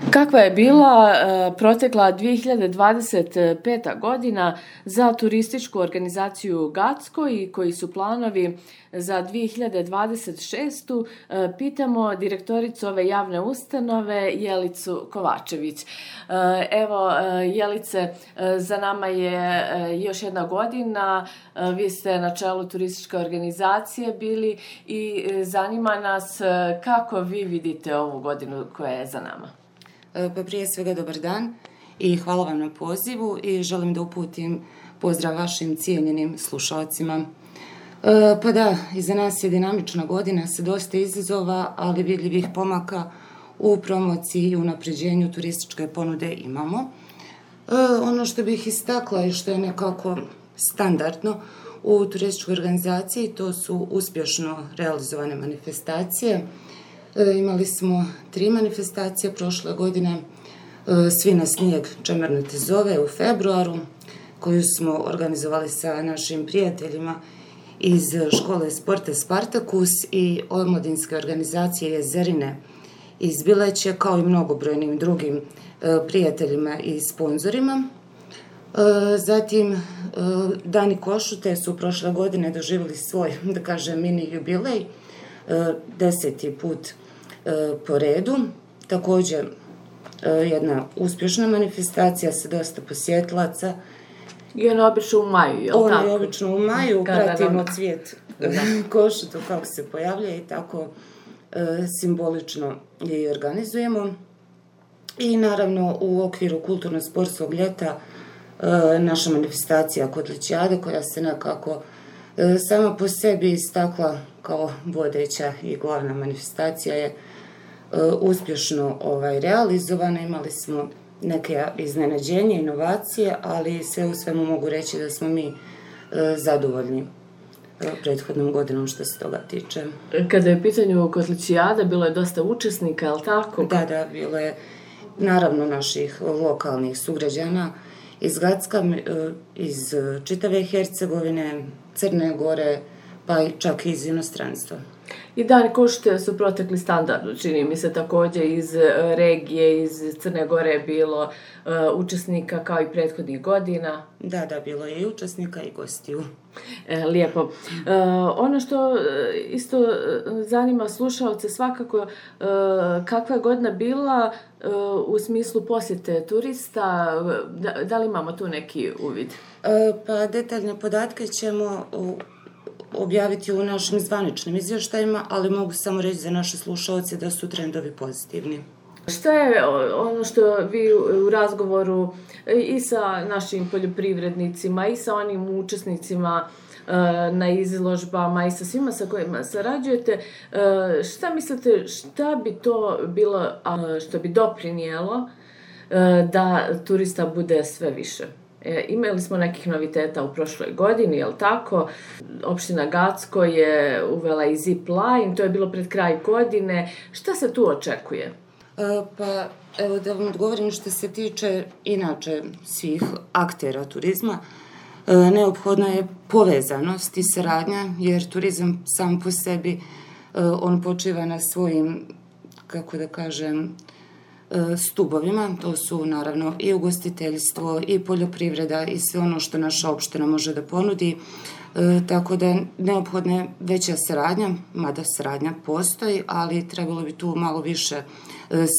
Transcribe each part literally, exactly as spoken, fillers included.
Kakva je bila uh, protekla dvije hiljade dvadeset peta godina za turističku organizaciju Gacko i koji su planovi za dvije hiljade dvadeset šestu. Uh, pitamo direktoricu ove javne ustanove Jelicu Kovačević. Uh, evo, uh, Jelice, uh, za nama je uh, još jedna godina. Uh, vi ste na čelu turističke organizacije bili i uh, zanima nas uh, kako vi vidite ovu godinu koja je za nama. Pa prije svega dobar dan i hvala vam na pozivu i želim da uputim pozdrav vašim cijenjenim slušalcima. Pa da, iza nas je dinamična godina sa dosta izazova, ali vidljivih pomaka u promociji i unapređenju turističke ponude imamo. Ono što bih istakla i što je nekako standardno u turističkoj organizaciji, to su uspješno realizovane manifestacije. Imali smo tri manifestacije prošle godine, Svi na snijeg Čemerno te zove u februaru, koju smo organizovali sa našim prijateljima iz škole sporta Spartakus i omladinske organizacije Jezerine iz Bileće, kao i mnogobrojnim drugim prijateljima i sponzorima. Zatim, Dani Košute su prošle godine doživjeli svoj, da kažem, mini jubilej, deseti put po redu. Također jedna uspješna manifestacija sa dosta posjetilaca. I ona je obično u maju, je li tako? Ona je obično u maju, pratimo cvijet košutu kako se pojavlja i tako simbolično je organizujemo. I naravno u okviru kulturno-sportskog ljeta naša manifestacija Kotlićijade, koja se nekako sama po sebi istakla kao vodeća i glavna manifestacija, je uspješno ovaj, realizovana. Imali smo neke iznenađenja, inovacije, ali sve u svemu mogu reći da smo mi zadovoljni prethodnom godinom što se toga tiče. Kada je u pitanju Kotlićijada, bilo je dosta učesnika, je li tako? Da, da, bilo je naravno naših lokalnih sugrađana iz Gacka, iz čitave Hercegovine, Crne Gore, pa i čak i iz inostranstva. I Dani Košute su protekli standardno, čini mi se, također iz regije, iz Crne Gore je bilo uh, učesnika kao i prethodnih godina. Da, da, bilo je i učesnika i gostiju. E, lijepo. Uh, ono što isto zanima slušalce svakako, uh, kakva je godina bila uh, u smislu posjete turista, da, da li imamo tu neki uvid? Uh, pa detaljne podatke ćemo u objaviti u našim zvaničnim izvještajima, ali mogu samo reći za naše slušalce da su trendovi pozitivni. Šta je ono što vi u razgovoru i sa našim poljoprivrednicima i sa onim učesnicima na izložbama i sa svima sa kojima sarađujete, šta mislite, šta bi to bilo što bi doprinijelo da turista bude sve više? E, imali smo nekih noviteta u prošloj godini, je li tako? Opština Gacko je uvela i zip line, to je bilo pred kraj godine. Šta se tu očekuje? E, pa, evo da vam odgovorim što se tiče inače svih aktera turizma. E, neophodna je povezanost i saradnja, jer turizam sam po sebi, e, on počiva na svojim, kako da kažem, stubovima, to su naravno i ugostiteljstvo i poljoprivreda i sve ono što naša opština može da ponudi, e, tako da neophodna je veća saradnja, mada saradnja postoji, ali trebalo bi tu malo više e,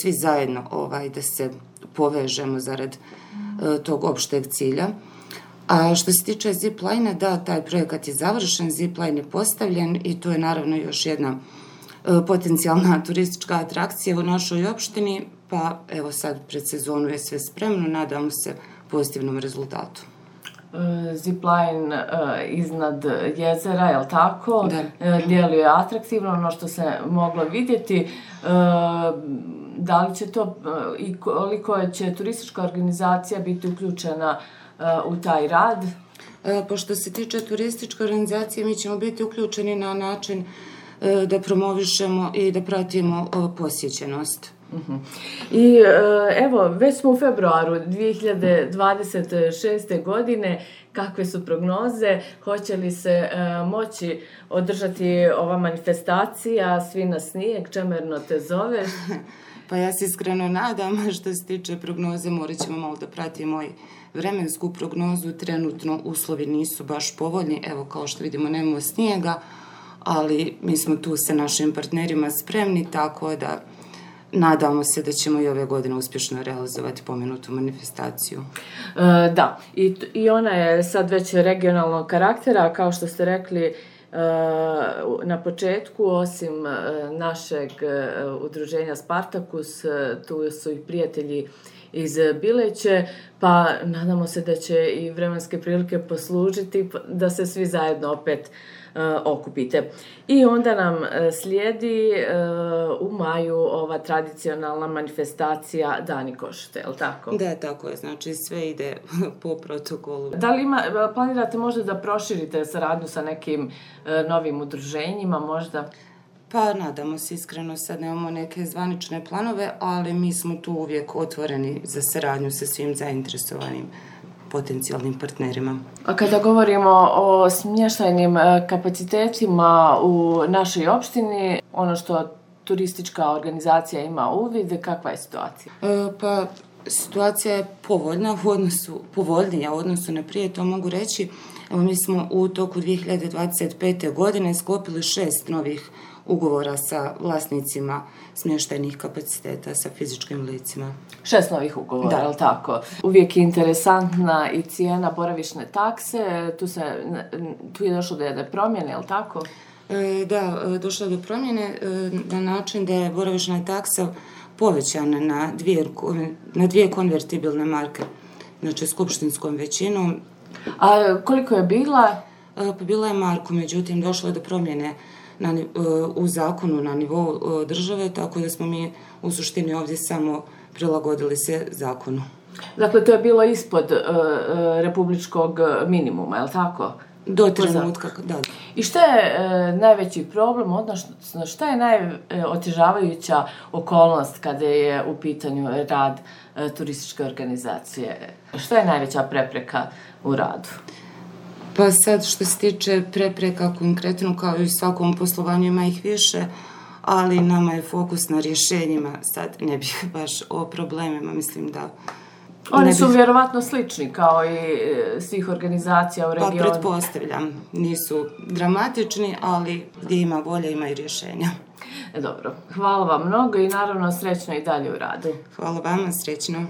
svi zajedno ovaj, da se povežemo zarad e, tog opšteg cilja. A što se tiče zipline, da, taj projekat je završen, zipline je postavljen i to je naravno još jedna e, potencijalna turistička atrakcija u našoj opštini. Pa evo sad pred sezonu je sve spremno, nadamo se pozitivnom rezultatu. Zipline uh, iznad jezera, je li tako? Da. Uh, djeluje atraktivno, ono što se moglo vidjeti. Uh, da li će to uh, i koliko će turistička organizacija biti uključena uh, u taj rad? Uh, pošto se tiče turističke organizacije, mi ćemo biti uključeni na način uh, da promovišemo i da pratimo uh, posjećenost. Uh-huh. I evo, već smo u februaru dvije hiljade dvadeset šeste. godine. Kakve su prognoze? Hoće li se uh, moći održati ova manifestacija Svi na snijeg, Čemerno te zove? Pa ja se iskreno nadam, što se tiče prognoze, morat ćemo malo da pratimo i vremensku prognozu. Trenutno uslovi nisu baš povoljni, evo kao što vidimo nemamo snijega, ali mi smo tu sa našim partnerima spremni, tako da nadamo se da ćemo i ove godine uspješno realizovati pomenutu manifestaciju. E, da, I, i ona je sad već regionalnog karaktera, kao što ste rekli e, na početku, osim našeg udruženja Spartakus, tu su i prijatelji iz Bileće, pa nadamo se da će i vremenske prilike poslužiti da se svi zajedno opet uh, okupite. I onda nam uh, slijedi uh, u maju ova tradicionalna manifestacija Dani košute, je li tako? Da, tako je, znači sve ide po protokolu. Da li ima, planirate možda da proširite saradnju sa nekim uh, novim udruženjima možda? Pa nadamo se iskreno, sad nemamo neke zvanične planove, ali mi smo tu uvijek otvoreni za saradnju sa svim zainteresovanim potencijalnim partnerima. A kada govorimo o smještajnim kapacitetima u našoj opštini, ono što turistička organizacija ima uvid, kakva je situacija? E, pa situacija je povoljna u odnosu, povoljnija u odnosu na prije, to mogu reći. Evo, mi smo u toku dvije hiljade dvadeset pete. godine sklopili šest novih ugovora sa vlasnicima smještajnih kapaciteta, sa fizičkim licima. Šest novih ugovora, je li tako? Uvijek je interesantna i cijena boravišne takse, tu, se, tu je došlo do jedne promjene, je li tako? E, da, došlo je do promjene e, na način da je boravišna taksa povećana na dvije, na dvije konvertibilne marke, znači skupštinskom većinom. A koliko je bila? E, pa bila je marku, međutim došlo je do promjene Na, u zakonu na nivou države, tako da smo mi u suštini ovdje samo prilagodili se zakonu. Dakle, to je bilo ispod uh, republičkog minimuma, je li tako? Do trenutka, da. I šta je uh, najveći problem, odnosno šta je najotežavajuća okolnost kada je u pitanju rad uh, turističke organizacije? Šta je najveća prepreka u radu? Pa sad što se tiče prepreka konkretno, kao i u svakom poslovanju ima ih više, ali nama je fokus na rješenjima, sad ne bih baš o problemima, mislim da... Oni su bih... vjerovatno slični kao i svih organizacija u regionu. Pa pretpostavljam, nisu dramatični, ali gdje ima volja ima i rješenja. Dobro, hvala vam mnogo i naravno srećno i dalje u radu. Hvala vama, srećno.